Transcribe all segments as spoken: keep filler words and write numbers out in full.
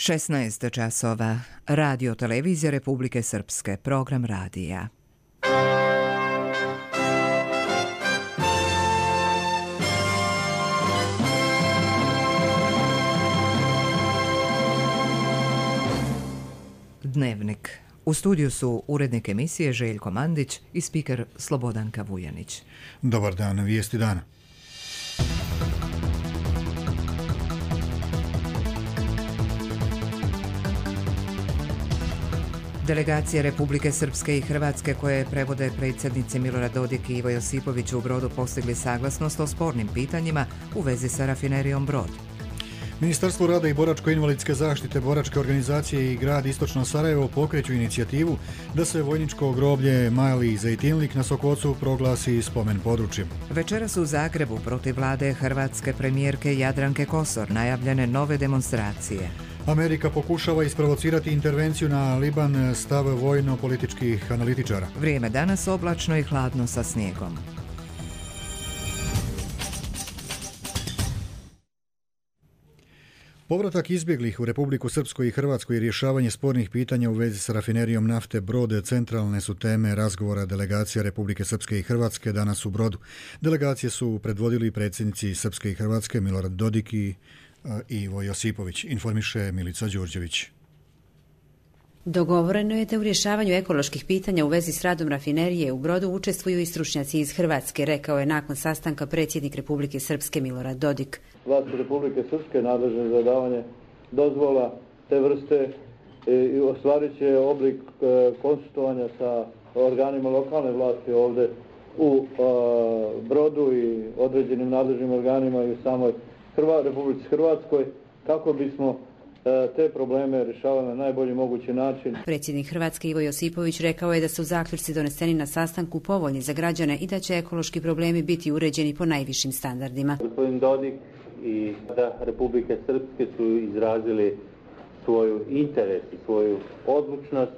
šesnaest časova. Radio televizija Republike Srpske. Program radija. Dnevnik. U studiju su urednik emisije Željko Mandić i spiker Slobodanka Vujanić. Dobar dan, vijesti dana. Delegacije Republike Srpske i Hrvatske koje prevode predsjednici Milorad Dodik i Ivo Josipović u Brodu postigli saglasnost o spornim pitanjima u vezi sa rafinerijom Brod. Ministarstvo rada i boračko-invalidske zaštite, boračke organizacije i grad Istočno Sarajevo pokreću inicijativu da se vojničko groblje Mali Zejtinlik na Sokocu proglasi spomen područjem. Večeras u Zagrebu protiv vlade hrvatske premijerke Jadranke Kosor najavljene nove demonstracije. Amerika pokušava isprovocirati intervenciju na Liban, stav vojno-političkih analitičara. Vrijeme danas oblačno i hladno sa snijegom. Povratak izbjeglih u Republiku Srpsku i Hrvatsku i rješavanje spornih pitanja u vezi s rafinerijom nafte Brod centralne su teme razgovora delegacija Republike Srpske i Hrvatske danas u Brodu. Delegacije su predvodili predsjednici Srpske i Hrvatske Milorad Dodik i Ivo Josipović, informiše Milica Đurđević. Dogovoreno je da u rješavanju ekoloških pitanja u vezi s radom rafinerije u Brodu učestvuju i stručnjaci iz Hrvatske, rekao je nakon sastanka predsjednik Republike Srpske Milorad Dodik. Vlasti Republike Srpske nadležne za davanje dozvola te vrste i ostvarit će oblik konsultovanja sa organima lokalne vlasti ovdje u Brodu i određenim nadležnim organima i u samoj Republici Hrvatskoj kako bismo te probleme rješavali na najbolji mogući način. Predsjednik Hrvatske Ivo Josipović rekao je da su zaključci doneseni na sastanku povoljni za građane i da će ekološki problemi biti uređeni po najvišim standardima. Gospodin Dodik i da Republike Srpske su izrazili svoju interes i svoju odlučnost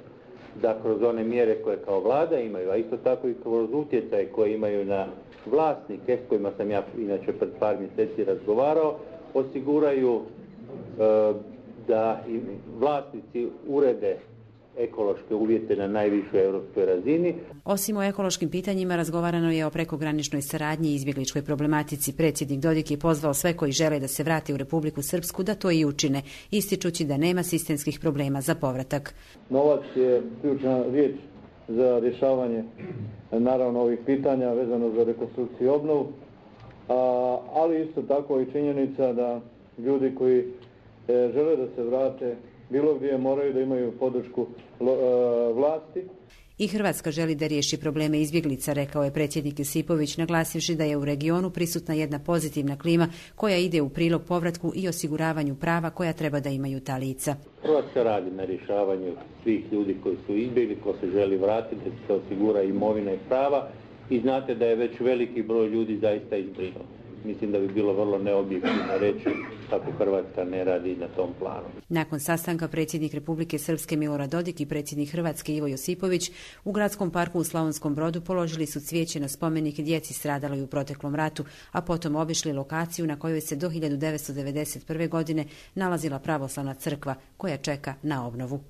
da kroz one mjere koje kao vlada imaju, a isto tako i kroz utjecaj koje imaju na vlasnike s kojima sam ja inače pred par mjeseci razgovarao, osiguraju e, da i vlasnici urede ekološke uvjete na najvišoj europskoj razini. Osim o ekološkim pitanjima razgovarano je o prekograničnoj saradnji i izbjegličkoj problematici. Predsjednik Dodik je pozvao sve koji žele da se vrati u Republiku Srpsku da to i učine, ističući da nema sistemskih problema za povratak. Novac je ključna riječ za rješavanje naravno ovih pitanja vezano za rekonstrukciju i obnovu, ali isto tako i činjenica da ljudi koji žele da se vrate bilo gdje moraju da imaju podršku vlasti. I Hrvatska želi da riješi probleme izbjeglica, rekao je predsjednik Josipović, naglasivši da je u regionu prisutna jedna pozitivna klima koja ide u prilog povratku i osiguravanju prava koja treba da imaju ta lica. Hrvatska radi na rješavanju svih ljudi koji su izbjegli, ko se želi vratiti, da se osigura imovina i prava i znate da je već veliki broj ljudi zaista izbrinuo. Mislim da bi bilo vrlo neobjektivno reći kako Hrvatska ne radi na tom planu. Nakon sastanka predsjednik Republike Srpske Milorad Dodik i predsjednik Hrvatske Ivo Josipović u gradskom parku u Slavonskom Brodu položili su cvijeće na spomenik djeci stradaloj u proteklom ratu, a potom obišli lokaciju na kojoj se do hiljadu devetsto devedeset prve. godine nalazila pravoslavna crkva koja čeka na obnovu.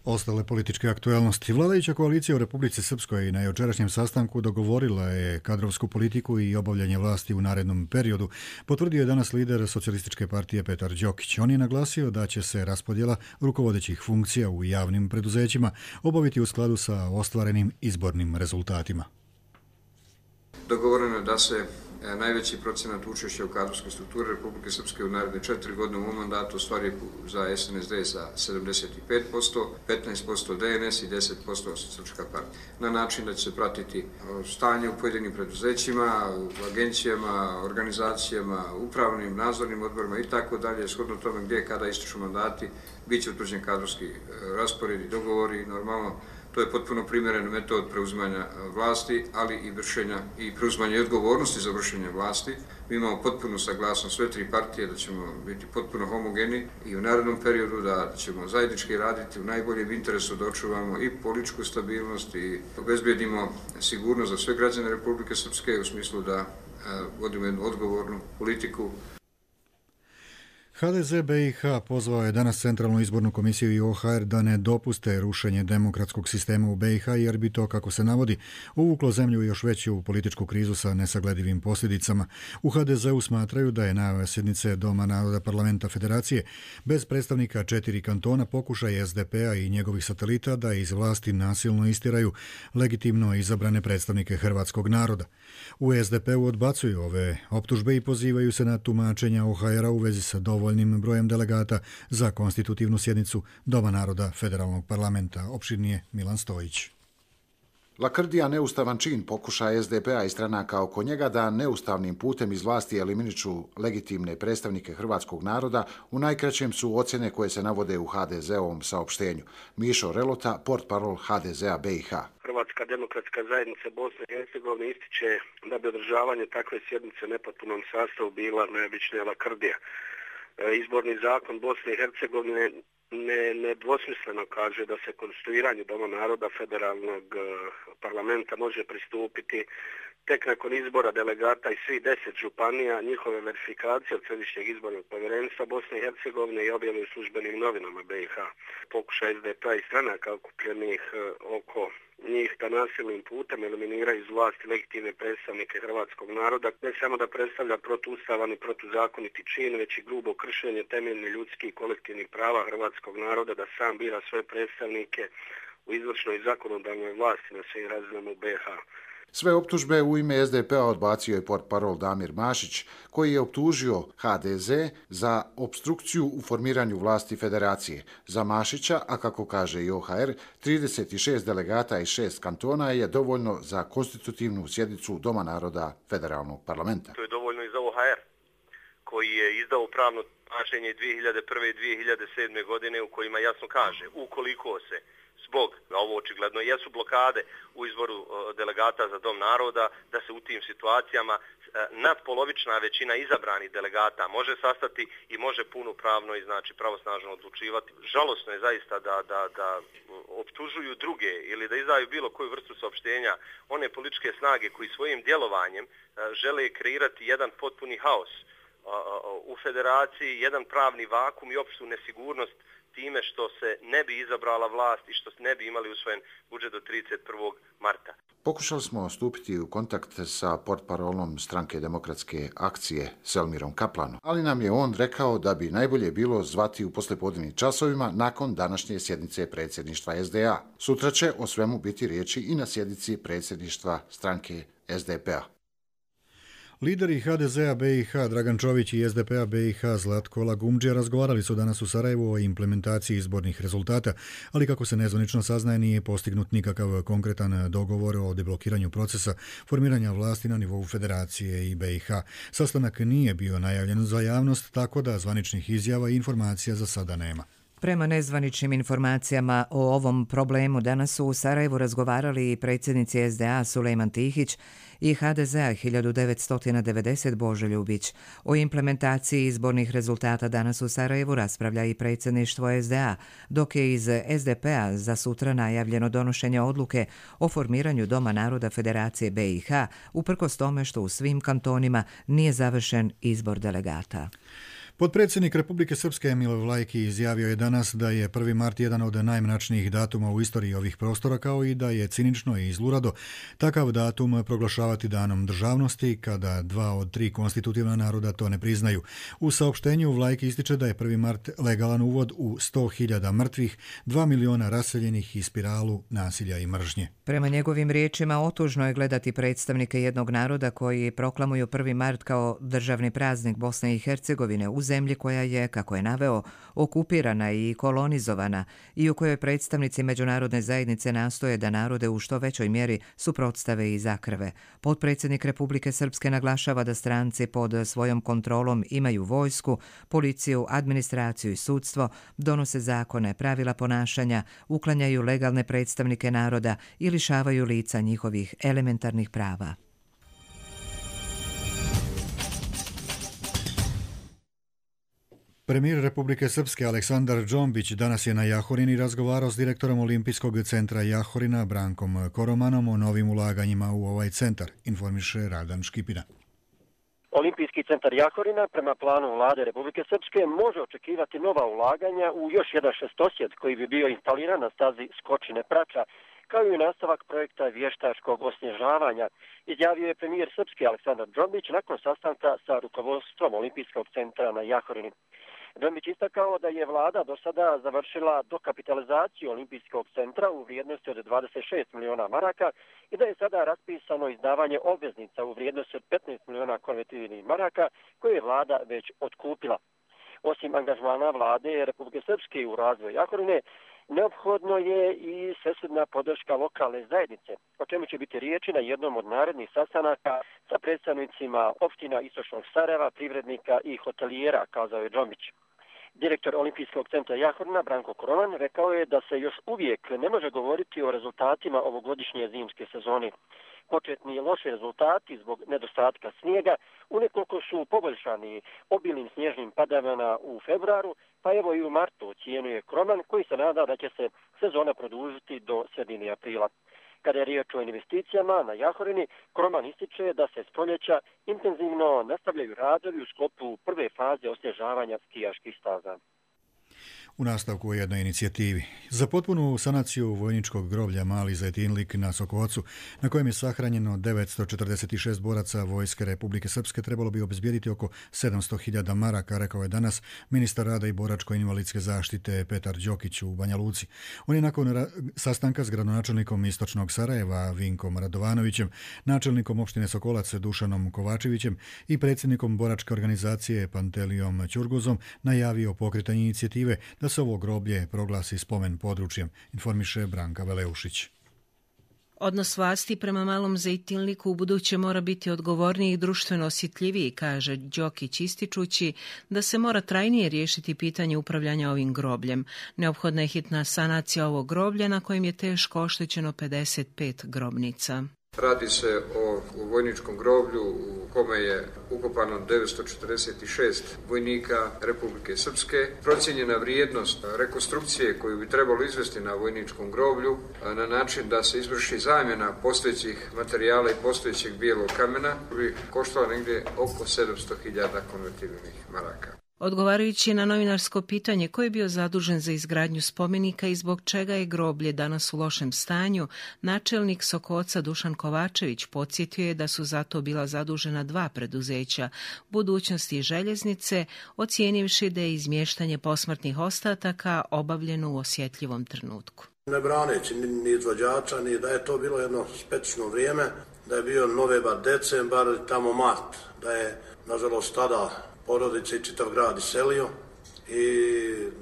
Ostale političke aktualnosti. Vladajuća koalicija u Republici Srpskoj na jučerašnjem sastanku dogovorila je kadrovsku politiku i obavljanje vlasti u narednom periodu, potvrdio je danas lider Socijalističke partije Petar Đokić. On je naglasio da će se raspodjela rukovodećih funkcija u javnim preduzećima obaviti u skladu sa ostvarenim izbornim rezultatima. Dogovoreno je da se najveći procenat učešća u kadrovskoj strukturi Republike Srpske u naredne četiri godine u ovom mandatu ostvari za S N S D za sedamdeset pet posto, petnaest posto D N S i deset posto Srpska partija. Na način da će se pratiti stanje u pojedinim preduzećima, u agencijama, organizacijama, upravnim, nadzornim odborima i tako dalje, shodno tome gdje kada ističu mandati, bit će utvrđen kadrovski raspored i dogovori. Normalno, to je potpuno primjeren metod preuzimanja vlasti, ali i vršenja i preuzimanja odgovornosti za vršenje vlasti. Mi imamo potpunu saglasnost sve tri partije da ćemo biti potpuno homogeni i u narednom periodu da ćemo zajednički raditi u najboljem interesu da očuvamo i političku stabilnost i obezbijedimo sigurnost za sve građane Republike Srpske u smislu da vodimo jednu odgovornu politiku. ha de ze be i ha pozvao je danas Centralnu izbornu komisiju i o ha er da ne dopuste rušenje demokratskog sistema u be i ha jer bi to, kako se navodi, uvuklo zemlju još veću političku krizu sa nesagledivim posljedicama. U ha de zeu smatraju da je najava sjednice Doma naroda parlamenta federacije bez predstavnika četiri kantona pokušaj es de pe a i njegovih satelita da iz vlasti nasilno istiraju legitimno izabrane predstavnike hrvatskog naroda. U es de pe u odbacuju ove optužbe i pozivaju se na tumačenja o ha era u vezi sa dovoljnim brojem delegata za konstitutivnu sjednicu Doma naroda federalnog parlamenta. Opširnije Milan Stojić. Lakrdija neustavan čin pokušaja es de pe a i stranaka oko njega da neustavnim putem iz vlasti eliminiču legitimne predstavnike hrvatskog naroda u najkraćem su ocjene koje se navode u ha de zeovom saopštenju. Mišo Relota, portparol ha de zea be i ha. Hrvatska demokratska zajednica Bosne i Hercegovine ističe da bi održavanje takve sjednice nepotpunom sastavu bila najobičnija lakrdija. Izborni zakon Bosne i Hercegovine ne, nedvosmisleno kaže da se konstituiranju Doma naroda federalnog parlamenta može pristupiti tek nakon izbora delegata iz svih deset županija, njihove verifikacije od Središnjeg izbornog povjerenstva Bosne i Hercegovine i objave u službenim novinama be i ha. Pokušaj es de pe a i stranaka okupljenih oko njih da nasilnim putem eliminiraju iz vlasti legitimne predstavnike hrvatskog naroda, ne samo da predstavlja protuustavan i protuzakoniti čin, već i grubo kršenje temeljnih ljudskih i kolektivnih prava hrvatskog naroda da sam bira svoje predstavnike u izvršnoj i zakonodavnoj vlasti na svim razinama u be i ha. Sve optužbe u ime es de pe a odbacio je portparol Damir Mašić, koji je optužio ha de ze za opstrukciju u formiranju vlasti federacije. Za Mašića, a kako kaže i o ha er, trideset šest delegata i šest kantona je dovoljno za konstitutivnu sjednicu Doma naroda federalnog parlamenta. To je dovoljno i za o ha er, koji je izdao pravno tumačenje dvije hiljade prve i dvije hiljade sedme godine u kojima jasno kaže ukoliko se zbog, a ovo očigledno jesu blokade u izboru delegata za Dom naroda, da se u tim situacijama nadpolovična većina izabranih delegata može sastati i može punopravno i znači pravosnažno odlučivati. Žalosno je zaista da, da, da optužuju druge ili da izdaju bilo koju vrstu saopštenja one političke snage koji svojim djelovanjem žele kreirati jedan potpuni haos u federaciji, jedan pravni vakum i opštu nesigurnost time što se ne bi izabrala vlast i što ne bi imali usvojen budžet do trideset prvog marta. Pokušali smo stupiti u kontakt sa portparolom Stranke demokratske akcije Selmirom Kaplanom, ali nam je on rekao da bi najbolje bilo zvati u poslijepodnevnim časovima nakon današnje sjednice predsjedništva es de a. Sutra će o svemu biti riječi i na sjednici predsjedništva stranke es de pe a. Lideri ha de zea be i ha Dragan Čović i es de pe a be i ha Zlatko Lagumdžija razgovarali su danas u Sarajevu o implementaciji izbornih rezultata, ali kako se nezvanično saznaje nije postignut nikakav konkretan dogovor o deblokiranju procesa formiranja vlasti na nivou Federacije i be i ha. Sastanak nije bio najavljen za javnost, tako da zvaničnih izjava i informacija za sada nema. Prema nezvaničnim informacijama o ovom problemu danas su u Sarajevu razgovarali i predsjednici es de a Sulejman Tihić i ha de zea hiljadu devetsto devedeset Božo Ljubić. O implementaciji izbornih rezultata danas u Sarajevu raspravlja i predsjedništvo es de a, dok je iz es de pe a za sutra najavljeno donošenje odluke o formiranju Doma naroda Federacije be i ha, uprkos tome što u svim kantonima nije završen izbor delegata. Potpredsjednik Republike Srpske Emil Vlajki izjavio je danas da je prvi mart jedan od najmračnijih datuma u istoriji ovih prostora, kao i da je cinično i zlurado takav datum proglašavati danom državnosti kada dva od tri konstitutivna naroda to ne priznaju. U saopštenju Vlajki ističe da je prvi mart legalan uvod u sto hiljada mrtvih, dva miliona raseljenih i spiralu nasilja i mržnje. Prema njegovim riječima, otužno je gledati predstavnike jednog naroda koji proklamuju prvi mart kao državni praznik Bosne i Hercegovine u zemlji koja je, kako je naveo, okupirana i kolonizovana i u kojoj predstavnici međunarodne zajednice nastoje da narode u što većoj mjeri suprotstave i zakrve. Potpredsjednik Republike Srpske naglašava da stranci pod svojom kontrolom imaju vojsku, policiju, administraciju i sudstvo, donose zakone, pravila ponašanja, uklanjaju legalne predstavnike naroda i lišavaju lica njihovih elementarnih prava. Premijer Republike Srpske Aleksandar Džombić danas je na Jahorini razgovarao s direktorom Olimpijskog centra Jahorina Brankom Koromanom o novim ulaganjima u ovaj centar, informiše Radan Škipina. Olimpijski centar Jahorina prema planu vlade Republike Srpske može očekivati nova ulaganja u još jedan šestosjed koji bi bio instaliran na stazi Skočine Prača, kao i nastavak projekta vještačkog osnježavanja, izjavio je premijer Srpske Aleksandar Džombić nakon sastanka sa rukovodstvom Olimpijskog centra na Jahorini. Džombić istakao da je vlada do sada završila dokapitalizaciju Olimpijskog centra u vrijednosti od dvadeset šest miliona maraka i da je sada raspisano izdavanje obveznica u vrijednosti od petnaest miliona konvertibilnih maraka koje je vlada već otkupila. Osim angažmana vlade Republike Srpske u razvoju Jahorine, neophodno je i svesrdna podrška lokalne zajednice, o čemu će biti riječi na jednom od narednih sastanaka sa predstavnicima opština Istočnog Sarajeva, privrednika i hotelijera, kazao je Džombić. Direktor Olimpijskog centra Jahorina Branko Koroman rekao je da se još uvijek ne može govoriti o rezultatima ovogodišnje zimske sezone. Početni loši rezultati zbog nedostatka snijega unekoliko su poboljšani obilnim snježnim padavina u februaru, pa evo i u martu ocijenjuje Koroman koji se nada da će se sezona produžiti do sredine aprila. Kada je riječ o investicijama na Jahorini, Koroman ističe da se s proljeća intenzivno nastavljaju radovi u sklopu prve faze osnježavanja skijaških staza. U nastavku o jednoj inicijativi. Za potpunu sanaciju vojničkog groblja Mali Zajtinlik na Sokocu, na kojem je sahranjeno devetsto četrdeset šest boraca Vojske Republike Srpske, trebalo bi obezbijediti oko sedamsto hiljada maraka, rekao je danas ministar rada i boračko-invalidske zaštite Petar Đokić u Banja Luci. On je nakon sastanka s gradonačelnikom Istočnog Sarajeva Vinkom Radovanovićem, načelnikom opštine Sokolac Dušanom Kovačevićem i predsjednikom boračke organizacije Pantelijom Ćurguzom najavio pokretanje inicijative da se ovo groblje proglasi spomen područjem, informiše Branka Veleušić. Odnos vlasti prema Malom Zejtinliku u buduće mora biti odgovorniji i društveno osjetljiviji, kaže Đokić ističući da se mora trajnije riješiti pitanje upravljanja ovim grobljem. Neophodna je hitna sanacija ovog groblja na kojem je teško oštećeno pedeset pet grobnica. Radi se o vojničkom groblju u kome je ukopano devetsto četrdeset šest vojnika Republike Srpske. Procijenjena vrijednost rekonstrukcije koju bi trebalo izvesti na vojničkom groblju na način da se izvrši zamjena postojećih materijala i postojećeg bijelog kamena bi koštala negdje oko sedamsto hiljada konvertibilnih maraka. Odgovarajući na novinarsko pitanje ko je bio zadužen za izgradnju spomenika i zbog čega je groblje danas u lošem stanju, načelnik Sokoca Dušan Kovačević podsjetio je da su zato bila zadužena dva preduzeća, Budućnosti i Željeznice, ocijenivši da je izmještanje posmrtnih ostataka obavljeno u osjetljivom trenutku. Ne braneći ni izvođača, ni da je to bilo jedno specično vrijeme, da je bio novembar, decembar, tamo mart, da je nažalost tada porodice i čitav grad iselio i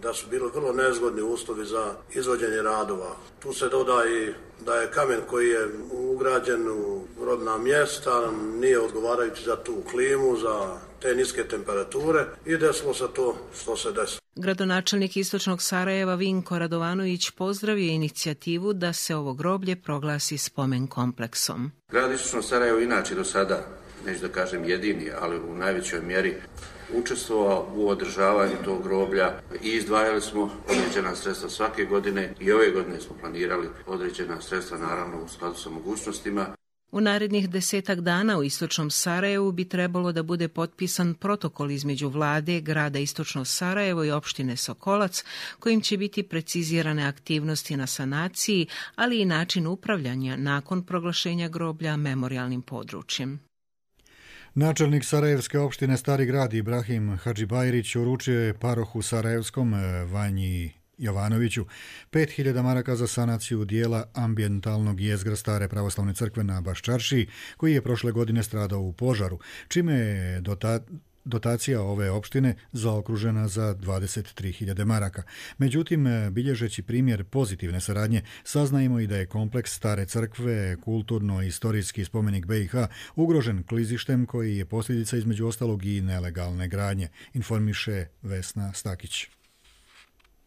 da su bili vrlo nezgodni uslovi za izvođenje radova. Tu se doda i da je kamen koji je ugrađen u rodna mjesta nije odgovarajući za tu klimu, za te niske temperature i desilo se to što se desilo. Gradonačelnik Istočnog Sarajeva Vinko Radovanović pozdravio inicijativu da se ovo groblje proglasi spomen kompleksom. Grad Istočno Sarajevo inače do sada, neću da kažem jedini, ali u najvećoj mjeri učestvovao u održavanju tog groblja i izdvajali smo određena sredstva svake godine i ove godine smo planirali određena sredstva, naravno u skladu sa mogućnostima. U narednih desetak dana u Istočnom Sarajevu bi trebalo da bude potpisan protokol između vlade, grada Istočno Sarajevo i opštine Sokolac, kojim će biti precizirane aktivnosti na sanaciji, ali i način upravljanja nakon proglašenja groblja memorijalnim područjem. Načelnik Sarajevske opštine Stari grad Ibrahim Hadžibajrić uručio je parohu Sarajevskom Vanji Jovanoviću pet hiljada maraka za sanaciju dijela ambijentalnog jezgra Stare pravoslavne crkve na Baščaršiji, koji je prošle godine stradao u požaru, čime je dota dotacija ove opštine zaokružena za dvadeset tri hiljade maraka. Međutim, bilježeći primjer pozitivne saradnje, saznajemo i da je kompleks Stare crkve, kulturno-istorijski spomenik B i H, ugrožen klizištem koji je posljedica između ostalog i nelegalne gradnje, informiše Vesna Stakić.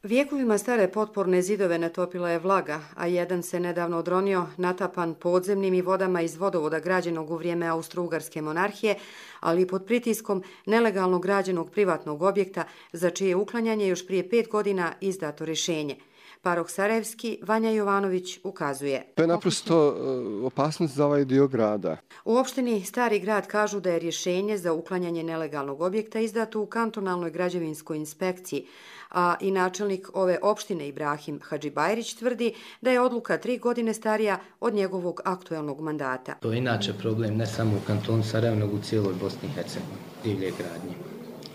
Vijekovima stare potporne zidove natopila je vlaga, a jedan se nedavno odronio natapan podzemnim i vodama iz vodovoda građenog u vrijeme Austro-Ugarske monarhije, ali i pod pritiskom nelegalno građenog privatnog objekta za čije uklanjanje još prije pet godina izdato rješenje. Paroh Sarajevski Vanja Jovanović ukazuje. To je naprosto opasnost za ovaj dio grada. U opštini Stari grad kažu da je rješenje za uklanjanje nelegalnog objekta izdato u kantonalnoj građevinskoj inspekciji, a i načelnik ove opštine Ibrahim Hadžibajrić tvrdi da je odluka tri godine starija od njegovog aktuelnog mandata. To je inače problem ne samo u kantonu Sarajevo, nego u cijeloj Bosni i Hercegovini, divlje gradnje.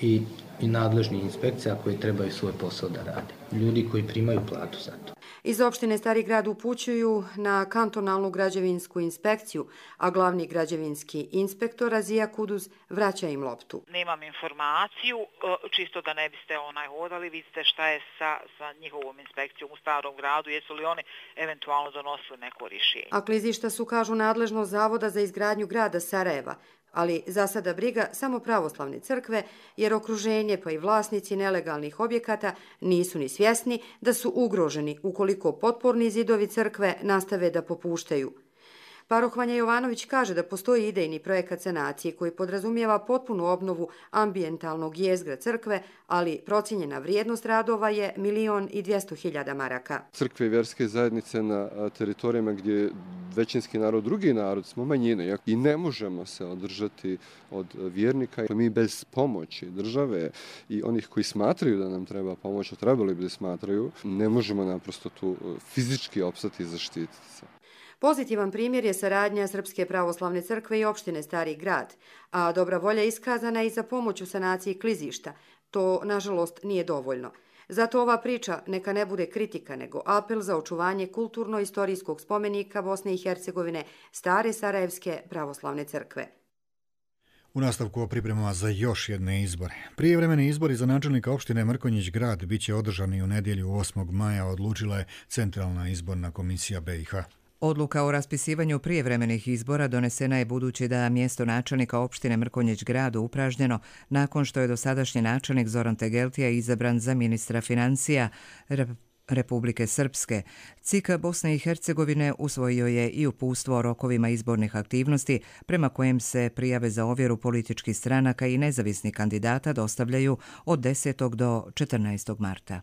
I, i nadležni inspekcija koji trebaju svoj posao da rade. Ljudi koji primaju platu za to. Iz opštine Stari grad upućuju na kantonalnu građevinsku inspekciju, a glavni građevinski inspektor Azija Kuduz vraća im loptu. Nemam informaciju, čisto da ne biste onaj hodali, vidite šta je sa, sa njihovom inspekcijom u Starom gradu, jesu li oni eventualno donosili neko rješenje. A klizišta su, kažu, nadležnost Zavoda za izgradnju grada Sarajeva, ali za sada briga samo pravoslavne crkve, jer okruženje pa i vlasnici nelegalnih objekata nisu ni svjesni da su ugroženi ukoliko potporni zidovi crkve nastave da popuštaju. Paroh Vanja Jovanović kaže da postoji idejni projekat sanacije koji podrazumijeva potpunu obnovu ambijentalnog jezgra crkve, ali procijenjena vrijednost radova je milion i dvjesto hiljada maraka. Crkve i vjerske zajednice na teritorijama gdje je većinski narod, drugi narod, smo manjine i ne možemo se održati od vjernika. Mi bez pomoći države i onih koji smatraju da nam treba pomoć, a trebali bi da smatraju, ne možemo naprosto tu fizički opstati i zaštititi se. Pozitivan primjer je saradnja Srpske pravoslavne crkve i opštine Stari grad, a dobra volja iskazana i za pomoć u sanaciji klizišta. To, nažalost, nije dovoljno. Zato ova priča neka ne bude kritika, nego apel za očuvanje kulturno-istorijskog spomenika Bosne i Hercegovine, Stare Sarajevske pravoslavne crkve. U nastavku o pripremama za još jedne izbore. Prijevremeni izbori za načelnika opštine Mrkonjić grad biće održani u nedjelju osmog maja, odlučila je Centralna izborna komisija B i H. Odluka o raspisivanju prijevremenih izbora donesena je budući da mjesto načelnika opštine Mrkonjić grad upražnjeno nakon što je dosadašnji načelnik Zoran Tegeltija izabran za ministra financija Republike Srpske. C I K Bosne i Hercegovine usvojio je i uputstvo o rokovima izbornih aktivnosti prema kojem se prijave za ovjeru političkih stranaka i nezavisnih kandidata dostavljaju od desetog do četrnaestog marta.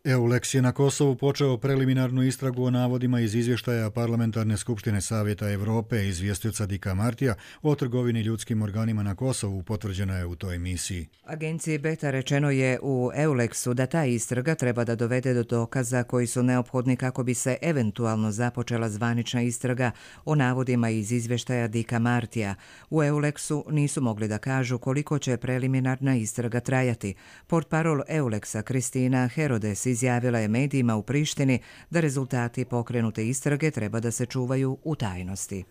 EULEX je na Kosovu počeo preliminarnu istragu o navodima iz izvještaja Parlamentarne skupštine Savjeta Evrope izvjestioca Dika Martija o trgovini ljudskim organima na Kosovu, potvrđeno je u toj emisiji. Agenciji Beta rečeno je u EULEX-u da ta istraga treba da dovede do dokaza koji su neophodni kako bi se eventualno započela zvanična istraga o navodima iz izvještaja Dika Martija. U EULEX-u nisu mogli da kažu koliko će preliminarna istraga trajati. Portparol EULEX-a Kristina Herodes izjavila je medijima u Prištini da rezultati pokrenute istrage treba da se čuvaju u tajnosti.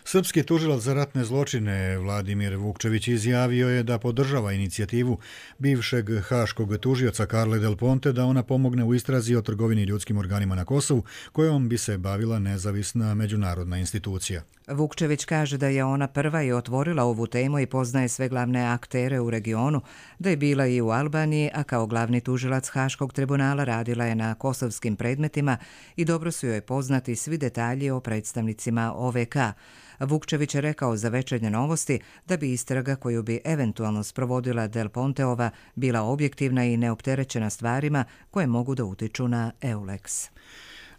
Srpski tužilac za ratne zločine Vladimir Vukčević izjavio je da podržava inicijativu bivšeg haškog tužioca Carle Del Ponte da ona pomogne u istrazi o trgovini ljudskim organima na Kosovu, kojom bi se bavila nezavisna međunarodna institucija. Vukčević kaže da je ona prva i otvorila ovu temu i poznaje sve glavne aktere u regionu, da je bila i u Albaniji, a kao glavni tužilac Haškog tribunala radila je na kosovskim predmetima i dobro su joj poznati svi detalji o predstavnicima O V K. Vukčević je rekao za Večernje novosti da bi istraga koju bi eventualno sprovodila Del Ponteova bila objektivna i neopterećena stvarima koje mogu da utiču na EULEX.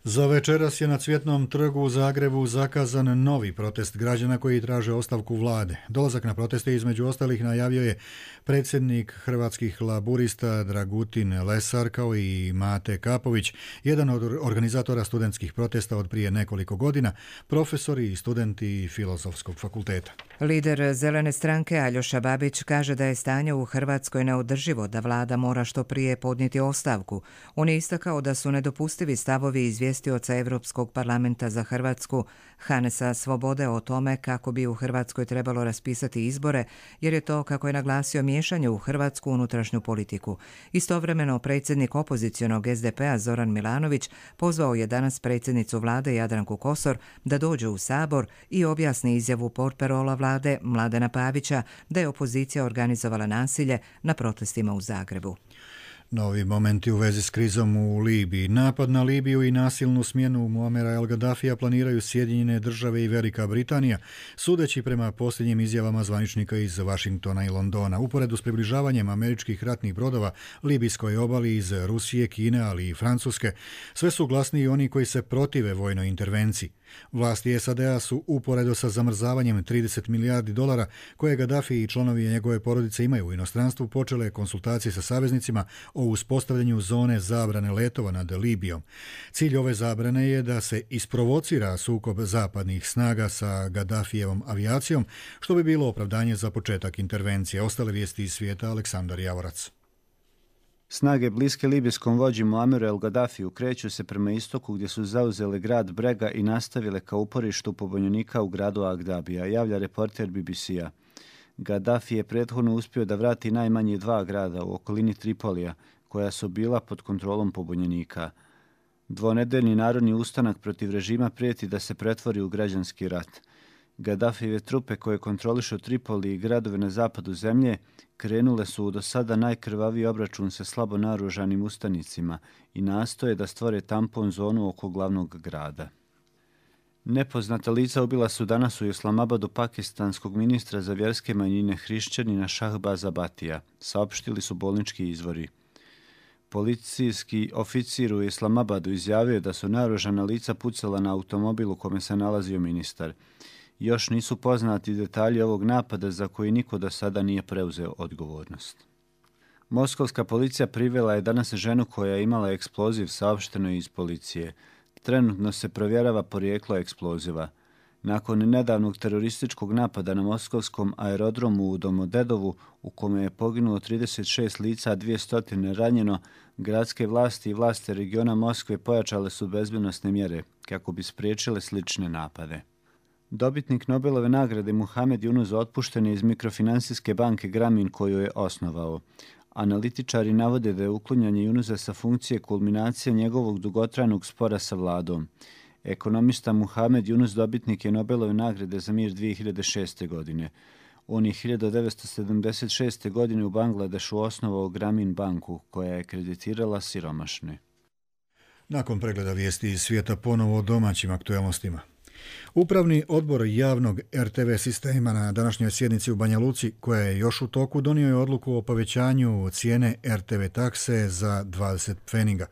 Za večeras je na Cvjetnom trgu u Zagrebu zakazan novi protest građana koji traže ostavku vlade. Dolazak na proteste između ostalih najavio je predsjednik Hrvatskih laburista Dragutin Lesar kao i Mate Kapović, jedan od organizatora studentskih protesta od prije nekoliko godina, profesori i studenti Filozofskog fakulteta. Lider Zelene stranke Aljoša Babić kaže da je stanje u Hrvatskoj neodrživo, da vlada mora što prije podnijeti ostavku. On je istakao da su nedopustivi stavovi izvjestioca Evropskog parlamenta za Hrvatsku Hanesa Svobode o tome kako bi u Hrvatskoj trebalo raspisati izbore, jer je to, kako je naglasio, miješanje u hrvatsku unutrašnju politiku. Istovremeno, predsjednik opozicionog S D P-a Zoran Milanović pozvao je danas predsjednicu vlade Jadranku Kosor da dođe u Sabor i objasni izjavu portparola vlade Mladena Pavića da je opozicija organizovala nasilje na protestima u Zagrebu. Novi momenti u vezi s krizom u Libiji. Napad na Libiju i nasilnu smjenu Muamera El Gaddafija planiraju Sjedinjene države i Velika Britanija, sudeći prema posljednjim izjavama zvaničnika iz Vašingtona i Londona. Uporedu s približavanjem američkih ratnih brodova libijskoj obali iz Rusije, Kine, ali i Francuske, sve su glasniji oni koji se protive vojnoj intervenciji. Vlasti S A D-a su uporedo sa zamrzavanjem trideset milijardi dolara koje Gaddafi i članovi njegove porodice imaju u inostranstvu počele konsultacije sa saveznicima o uspostavljanju zone zabrane letova nad Libijom. Cilj ove zabrane je da se isprovocira sukob zapadnih snaga sa Gaddafijevom avijacijom, što bi bilo opravdanje za početak intervencije. Ostale vijesti iz svijeta, Aleksandar Javorac. Snage bliske libijskom vođi Muammeru El Gaddafiju kreću se prema istoku gdje su zauzele grad Brega i nastavile ka uporištu pobunjenika u gradu Agdabija, javlja reporter B B C-a. Gaddafi je prethodno uspio da vrati najmanje dva grada u okolini Tripolija, koja su bila pod kontrolom pobunjenika. Dvonedeljni narodni ustanak protiv režima prijeti da se pretvori u građanski rat. Gaddafijeve trupe koje kontrolišu Tripoli i gradove na zapadu zemlje krenule su u do sada najkrvaviji obračun sa slabo naoružanim ustanicima i nastoje da stvore tampon zonu oko glavnog grada. Nepoznata lica ubila su danas u Islamabadu pakistanskog ministra za vjerske manjine hrišćanina Shahbaza Batija, saopštili su bolnički izvori. Policijski oficir u Islamabadu izjavio da su naoružana lica pucala na automobil u kome se nalazio ministar. Još nisu poznati detalji ovog napada za koji niko do sada nije preuzeo odgovornost. Moskovska policija privela je danas ženu koja je imala eksploziv, saopšteno iz policije. Trenutno se provjerava porijeklo eksploziva. Nakon nedavnog terorističkog napada na moskovskom aerodromu u Domodedovu, u kome je poginulo trideset šest lica, a dvjesto ranjeno, gradske vlasti i vlasti regiona Moskve pojačale su bezbednosne mjere kako bi spriječile slične napade. Dobitnik Nobelove nagrade Muhamed Yunus otpušten je iz mikrofinansijske banke Grameen koju je osnovao. Analitičari navode da je uklanjanje Yunusa sa funkcije kulminacija njegovog dugotrajnog spora sa vladom. Ekonomista Muhamed Yunus dobitnik je Nobelove nagrade za mir dvije hiljade šeste. godine. On je hiljadu devetsto sedamdeset šeste. godine u Bangladešu osnovao Grameen banku koja je kreditirala siromašne. Nakon pregleda vijesti iz svijeta ponovo o domaćim aktualnostima. Upravni odbor javnog R T V sistema na današnjoj sjednici u Banja Luci, koja je još u toku, donio je odluku o povećanju cijene R T V takse za dvadeset pfeniga.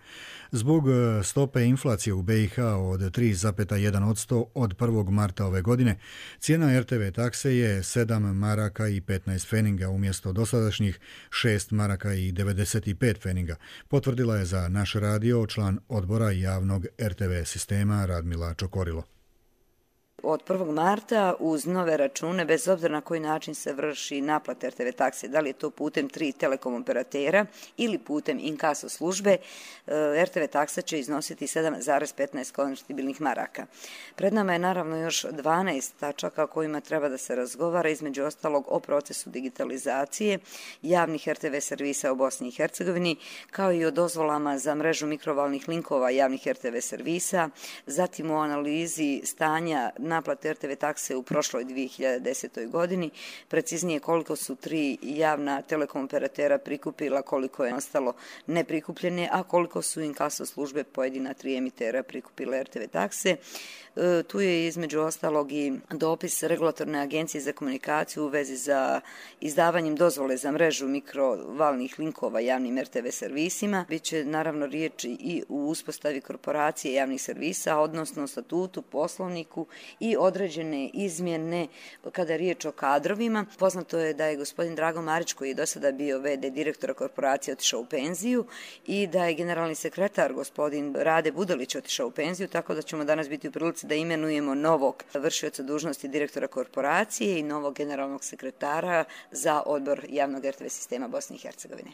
Zbog stope inflacije u B i H od tri zarez jedan posto od prvog marta ove godine, cijena R T V takse je sedam maraka i petnaest pfeniga umjesto dosadašnjih šest maraka i devedeset pet pfeniga, potvrdila je za naš radio član odbora javnog R T V sistema Radmila Čokorilo. Od prvog marta uz nove račune, bez obzira na koji način se vrši naplata R T V takse, da li je to putem tri telekom operatera ili putem inkaso službe, R T V taksa će iznositi sedam zarez petnaest konvertibilnih maraka. Pred nama je naravno još dvanaest tačaka o kojima treba da se razgovara, između ostalog o procesu digitalizacije javnih R T V servisa u Bosni i Hercegovini, kao i o dozvolama za mrežu mikrovalnih linkova javnih R T V servisa, zatim o analizi stanja naplate R T V takse u prošloj dvije hiljade desetoj. godini, preciznije koliko su tri javna telekom operatera prikupila, koliko je ostalo neprikupljene, a koliko su inkaso službe pojedina tri emitera prikupila R T V takse. E, tu je između ostalog i dopis Regulatorne agencije za komunikaciju u vezi za izdavanjem dozvole za mrežu mikrovalnih linkova javnim R T V servisima. Biće naravno riječ i u uspostavi korporacije javnih servisa, odnosno statutu, poslovniku i određene izmjene kada je riječ o kadrovima. Poznato je da je gospodin Drago Marić, koji je do sada bio V D direktora korporacije, otišao u penziju i da je generalni sekretar gospodin Rade Budalić otišao u penziju, tako da ćemo danas biti u prilici da imenujemo novog vršioca dužnosti direktora korporacije i novog generalnog sekretara za odbor javnog R T V sistema Bosne i Hercegovine.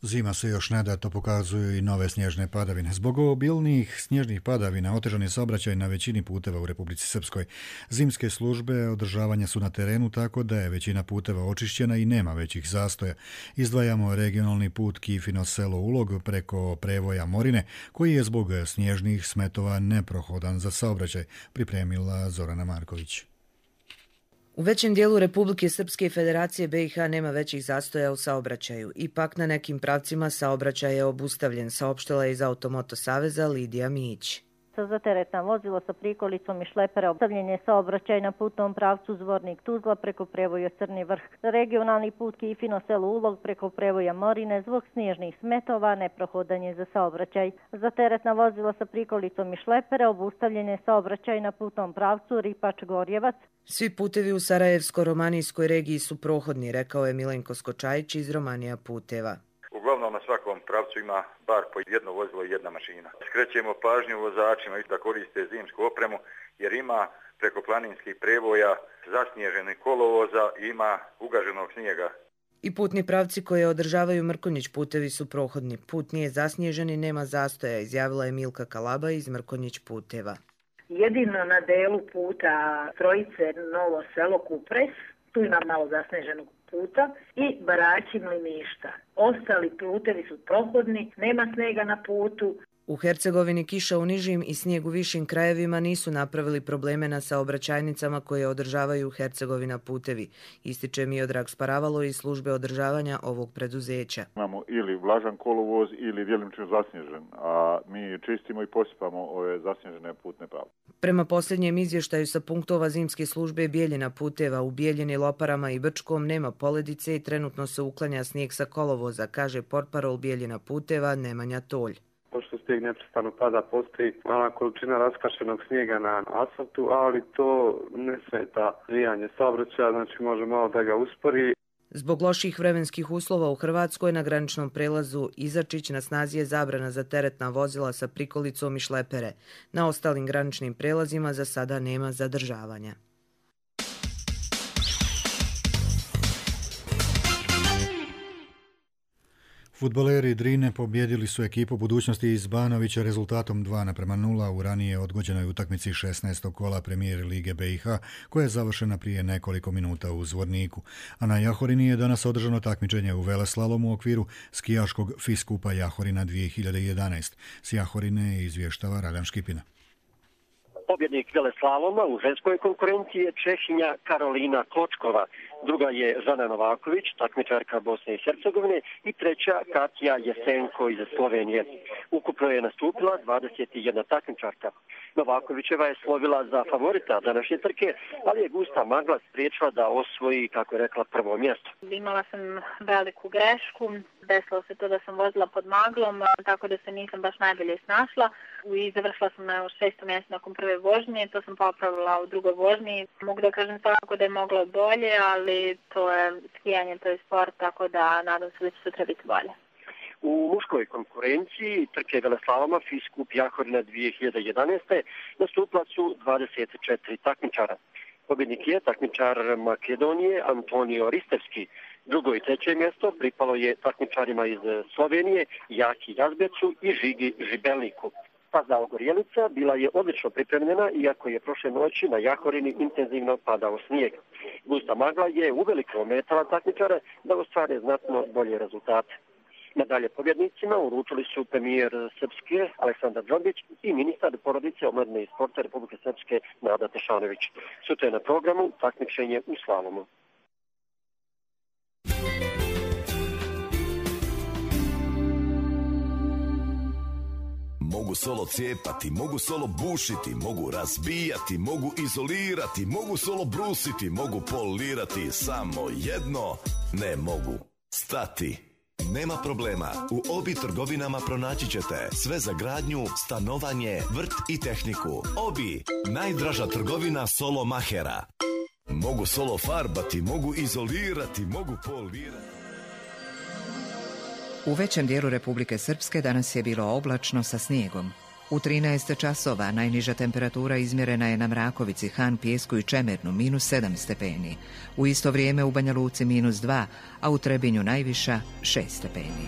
Zima se još ne da, to pokazuju i nove snježne padavine. Zbog obilnijih snježnih padavina otežan je saobraćaj na većini puteva u Republici Srpskoj. Zimske službe održavanja su na terenu, tako da je većina puteva očišćena i nema većih zastoja. Izdvajamo regionalni put Kifino selo Ulog preko prevoja Morine, koji je zbog snježnih smetova neprohodan za saobraćaj, pripremila Zorana Marković. U većem dijelu Republike Srpske i Federacije B i H nema većih zastoja u saobraćaju. Ipak na nekim pravcima saobraćaj je obustavljen, saopštila je iz Automoto saveza Lidija Mić. Za teretna vozila sa prikolicom i šlepera obustavljen je saobraćaj na putnom pravcu Zvornik Tuzla preko prevoja Crni Vrh. Za regionalni put Kifino selo Ulog preko prevoja Morine zbog snježnih smetova neprohodan je za saobraćaj. Za teretna vozila sa prikolicom i šlepera obustavljen je saobraćaj na putnom pravcu Ripač Gorjevac. Svi putevi u Sarajevsko-romanijskoj regiji su prohodni, rekao je Milenko Skočajić iz Romanija puteva. Uglavnom na svakom pravcu ima bar po jedno vozilo i jedna mašina. Skrećemo pažnju vozačima da koriste zimsku opremu jer ima preko planinskih prevoja zasnježenih kolovoza i ima ugaženog snijega. I putni pravci koje održavaju Mrkonjić putevi su prohodni. Put nije zasnježen i nema zastoja, izjavila je Milka Kalaba iz Mrkonjić puteva. Jedino na delu puta Trojice Novo selo Kupres, tu ima malo zasneženog puta, i Baraći Mliništa. Ostali putevi su prohodni, nema snega na putu. U Hercegovini kiša u nižim i snijeg u višim krajevima nisu napravili probleme na saobraćajnicama koje održavaju Hercegovina putevi, ističe Miodrag Sparavalo iz službe održavanja ovog preduzeća. Imamo ili vlažan kolovoz ili djelomično zasnježen, a mi čistimo i posipamo ove zasnježene putne pravce. Prema posljednjem izvještaju sa punktova zimske službe Bijeljina puteva u Bijeljini, Loparama i Brčkom nema poledice i trenutno se uklanja snijeg sa kolovoza, kaže portparol Bijeljina puteva Nemanja Tolj. Pošto snijeg neprestano pada, postoji mala količina raskašenog snijega na asfaltu, ali to ne smeta zvijanje saobraćaja, znači može malo da ga uspori. Zbog loših vremenskih uslova u Hrvatskoj na graničnom prelazu Izačić na snazi je zabrana za teretna vozila sa prikolicom i šlepere. Na ostalim graničnim prelazima za sada nema zadržavanja. Fudbaleri Drine pobjedili su ekipu Budućnosti iz Banovića rezultatom dva naprema nula u ranije odgođenoj utakmici šesnaestog kola Premijer Lige B i H, koja je završena prije nekoliko minuta u Zvorniku. A na Jahorini je danas održano takmičenje u veleslalomu u okviru skijaškog Fiskupa Jahorina dvije hiljade jedanaest. S Jahorine izvještava Radan Škipina. Pobjednik veleslaloma u ženskoj konkurenciji je Čehinja Karolina Kločkova. Druga je Žana Novaković, takmičarka Bosne i Hercegovine, i treća Katja Jesenko iz Slovenije. Ukupno je nastupila dvadeset jedna takmičarka. Novakovićeva je slovila za favorita današnje trke, ali je gusta magla spriječila da osvoji, kako je rekla, prvo mjesto. Imala sam veliku grešku, desilo se to da sam vozila pod maglom, tako da se nisam baš najbolje snašla i završila sam na šestom mjestu nakon prve vožnje, to sam popravila u drugoj vožnji. Mogu da kažem svakako da je moglo bolje, ali to je skijanje, to je sport, tako da nadam se da će sutra biti bolje. U muškoj konkurenciji trke veleslaloma Fiskup Jahorina dvije hiljade jedanaest. nastupila su dvadeset četiri takmičara. Pobjednik je takmičar Makedonije Antonio Ristevski. Drugo i treće mjesto pripalo je takmičarima iz Slovenije Jaki Jazbecu i Žigi Žibelniku. Staza Ogorjelica bila je odlično pripremljena, iako je prošle noći na Jahorini intenzivno padao snijeg. Gusta magla je uveliko ometala takmičare da ostvare znatno bolje rezultate. Nadalje pobjednicima uručili su premijer Srpske Aleksandar Džombić i ministar porodice, omladine i sporta Republike Srpske Nada Tešanović. Sutra je na programu takmičenje u slalomu. Mogu solo cijepati, mogu solo bušiti, mogu razbijati, mogu izolirati, mogu solo brusiti, mogu polirati, samo jedno ne mogu stati. Nema problema, u Obi trgovinama pronaći ćete sve za gradnju, stanovanje, vrt i tehniku. Obi, najdraža trgovina solo mahera. Mogu solo farbati, mogu izolirati, mogu polirati. U većem dijelu Republike Srpske danas je bilo oblačno sa snijegom. U trinaest časova najniža temperatura izmjerena je na Mrakovici, Han, Pijesku i Čemernu, minus sedam stepeni. U isto vrijeme u Banja Luci minus dva, a u Trebinju najviša šest stepeni.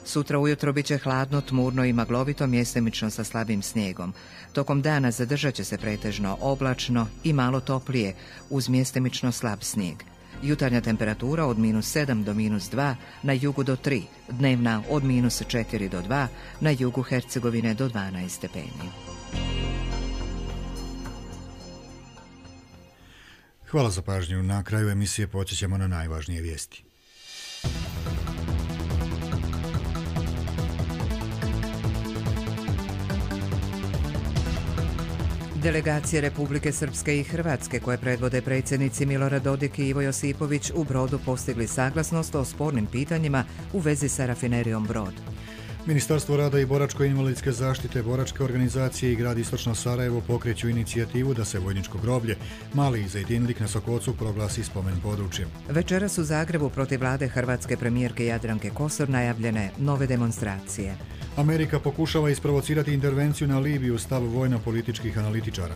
Sutra ujutro bit će hladno, tmurno i maglovito, mjestimično sa slabim snijegom. Tokom dana zadržat će se pretežno oblačno i malo toplije, uz mjestimično slab snijeg. Jutarnja temperatura od minus sedam do minus dva, na jugu do tri, dnevna od minus četiri do dva, na jugu Hercegovine do dvanaest stepeni. Hvala za pažnju. Na kraju emisije podsjećamo na najvažnije vijesti. Delegacije Republike Srpske i Hrvatske koje predvode predsjednici Milorad Dodik i Ivo Josipović u Brodu postigli saglasnost o spornim pitanjima u vezi sa rafinerijom Brod. Ministarstvo rada i boračko-invalidske zaštite, boračke organizacije i grad Istočno Sarajevo pokreću inicijativu da se vojničko groblje Mali Zejtinlik na Sokocu proglasi spomen područjem. Večeras u Zagrebu protiv vlade hrvatske premijerke Jadranke Kosor najavljene nove demonstracije. Amerika pokušava isprovocirati intervenciju na Libiju, stav vojno-političkih analitičara.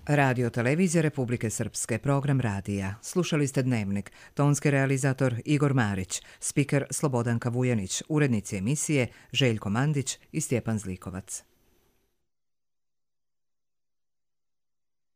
Radio Televizija Republike Srpske, program radija. Slušali ste Dnevnik, tonski realizator Igor Marić, spiker Slobodanka Vujanić, urednici emisije Željko Mandić i Stjepan Zlikovac.